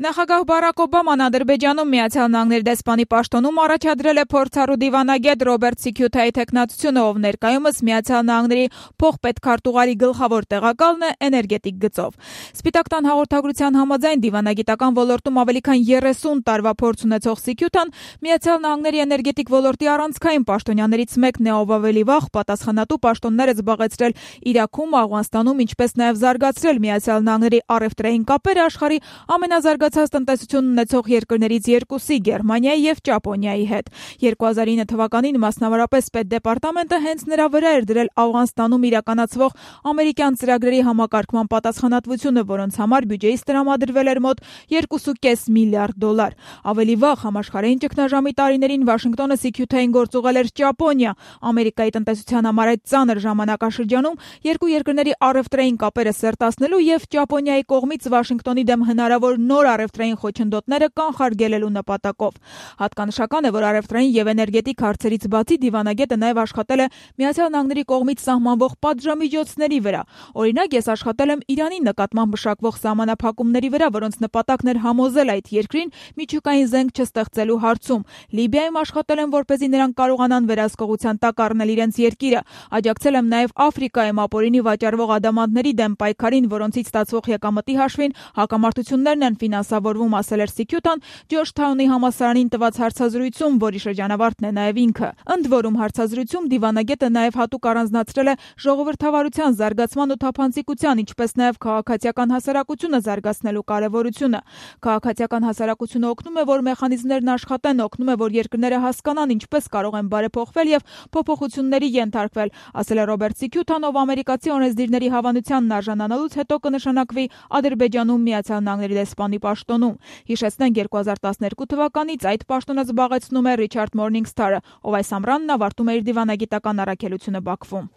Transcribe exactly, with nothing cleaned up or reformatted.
Նախագահ Բարակ Օբաման Ադրբեջանում Միացյալ Նահանգների դեսպանի պաշտոնում առաջադրել է փորձառու դիվանագետ Ռոբերտ Սիքյութայի թեկնածությունը, ով ներկայումս Միացյալ Նահանգների փոխպետքարտուղարի գլխավոր տեղակալն է էներգետիկ գծով։ Սպիտակ տան հաղորդագրության համաձայն դիվանագիտական ոլորտում ավելի քան երեսուն տարվա փորձ ունեցող Սիքյութան Միացյալ Նահանգների էներգետիկ ոլորտի առանցքային պաշտոնյաներից մեկն է, ով ավելի վաղ պատասխանատու պաշտոններ է զբաղեցրել Իրաքում, Աֆղանստանում, ինչպես նաև զարգացրել Միացյալ Նահանգների առևտրային կապերը աշխարհի ամենազարգացած տնտեսություն ունեցող երկրներից երկուսի՝ Գերմանիայի և Ճապոնիայի հետ։ երկու հազար ինը թվականին մասնավորապես Պետդեպարտամենտը հենց նրա վրա էր դրել Աֆղանստանում իրականացվող ամերիկյան ծրագրերի համակարգման պատասխանատվությունը, որոնց համար բյուջեից տրամադրվել էր մոտ երկու կόμma պենս միլիարդ դոլար։ Ավելի վաղ համաշխարհային ճգնաժամի տարիներին Վաշինգտոնը Սիքյութային գործուղել էր Ճապոնիա։ Ամերիկայի տնտեսության համար այդ ծանր ժամանակաշրջանում երկու երկրների առևտրային կապերը սերտացնելու և Ճապոնիայի կողմից Վաշինգտոնի դեմ հնարավոր նոր առևտրային խոչընդոտները կանխարգելելու նպատակով։ Հատկանշական է, որ առևտրային և էներգետիկ հարցերից բացի դիվանագետը նաև աշխատել է Միացյալ Նահանգների կողմից սահմանվող պատժամիջոցների վրա։ Օրինակ, ես աշխատել եմ Իրանի նկատմամբ մշակվող սահմանափակումների վրա, որոնց նպատակն էր համոզել այդ երկրին միջուկային զենք չստեղծելու հարցում։ Լիբիայում աշխատել եմ, որպեսզի նրանք կարողանան վերահսկողության տակ առնել իրենց երկիրը։ Աջակցել եմ նաև Աֆրիկայում ապօրինի վաճառվող ադամանդների դեմ պայքարին, որոնցից ստացվող եկամտի հաշվին հակամարտություններն են ֆինանսավորվում, ասել էր Սիքյութան Ջորջթաունի համալսարանին տված հարցազրույցում, որի շրջանավարտն է նաև ինքը։ Ընդ որում, հարցազրույցում դիվանագետը նաև հատուկ առանձնացրել է ժողովրդավարության զարգացման ու թափանցիկության, ինչպես նաև քաղաքացիական հասարակությունը զարգացնելու կարևորությունը։ Քաղաքացիական հասարակությունը օգնում է, որ մեխանիզմներն աշխատեն, օգնում է, որ երկրները հասկանան ինչպես կարող են բարեփոխվել և փոփոխությունների ենթարկվել, ասել է Ռոբերտ Սիքյութան, ով ամերիկացի օրենսդիրների հավանությանն արժանանալուց հետո կնշանակվի Ադրբեջանում Միացյալ Նահանգների դեսպանի պաշտոնում։ Հիշեցնենք, երկու հազար տասներկու թվականից այդ պաշտոնը զբաղեցնում է Ռիչարդ Մորնինգսթարը, ով այս ամռանն ավարտում է իր դիվանագիտական առաքելությունը Բաքվում։